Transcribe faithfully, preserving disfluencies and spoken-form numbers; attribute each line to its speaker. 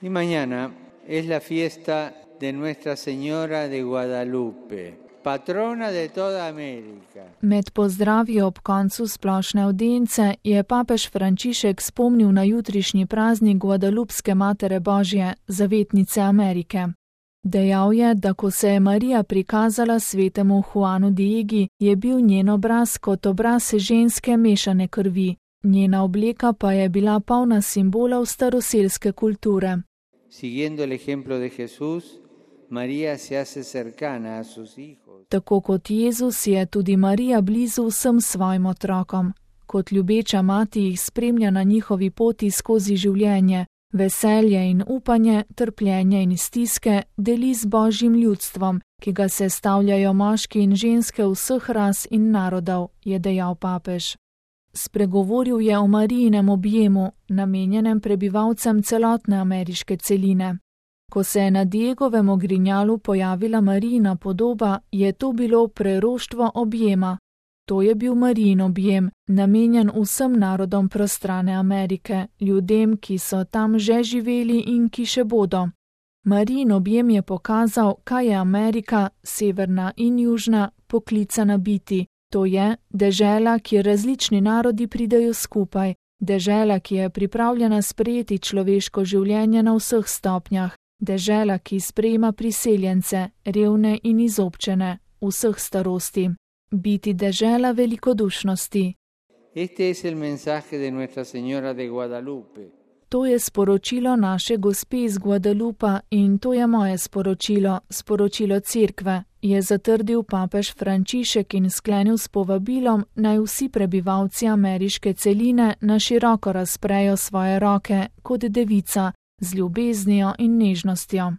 Speaker 1: Y mañana es la fiesta de Nuestra Señora de Guadalupe, patrona de toda Amerika.
Speaker 2: Med pozdravi ob koncu splošne avdience je papež Frančišek spomnil na jutrišnji praznik Guadalupske Matere Božje, zavetnice Amerike. Dejal je, da ko se je Marija prikazala svetemu Juanu Diegi, je bil njen obraz kot obraz ženske mešane krvi, njena obleka pa je bila polna simbolov staroselske kulture.
Speaker 1: Siguiendo el ejemplo de Jesús, María se hace cercana a sus hijos.
Speaker 2: Tako kot Jezus je tudi Marija blizu vsem svojim otrokom. Kot ljubeča mati jih spremlja na njihovi poti skozi življenje, veselje in upanje, trpljenje in stiske deli z Božjim ljudstvom, ki ga sestavljajo moški in ženske vseh ras in narodov, je dejal papež. Spregovoril je o Marijinem objemu, namenjenem prebivalcem celotne ameriške celine. Ko se je na Diegovem ogrinjalu pojavila Marijina podoba, je to bilo preroštvo objema. To je bil Marijin objem, namenjen vsem narodom prostrane Amerike, ljudem, ki so tam že živeli in ki še bodo. Marijin objem je pokazal, kaj je Amerika, severna in južna, poklicana biti. To je dežela, kjer različni narodi pridejo skupaj, dežela, ki je pripravljena sprejeti človeško življenje na vseh stopnjah, dežela, ki sprejema priseljence, revne in izobčene, vseh starosti. Biti dežela velikodušnosti.
Speaker 1: Este es el mensaje de Nuestra Señora de Guadalupe.
Speaker 2: To je sporočilo naše gospe iz Guadalupa in to je moje sporočilo, sporočilo cerkve, je zatrdil papež Frančišek in sklenil s povabilom, naj vsi prebivalci ameriške celine na široko razprejo svoje roke kot devica z ljubeznijo in nežnostjo.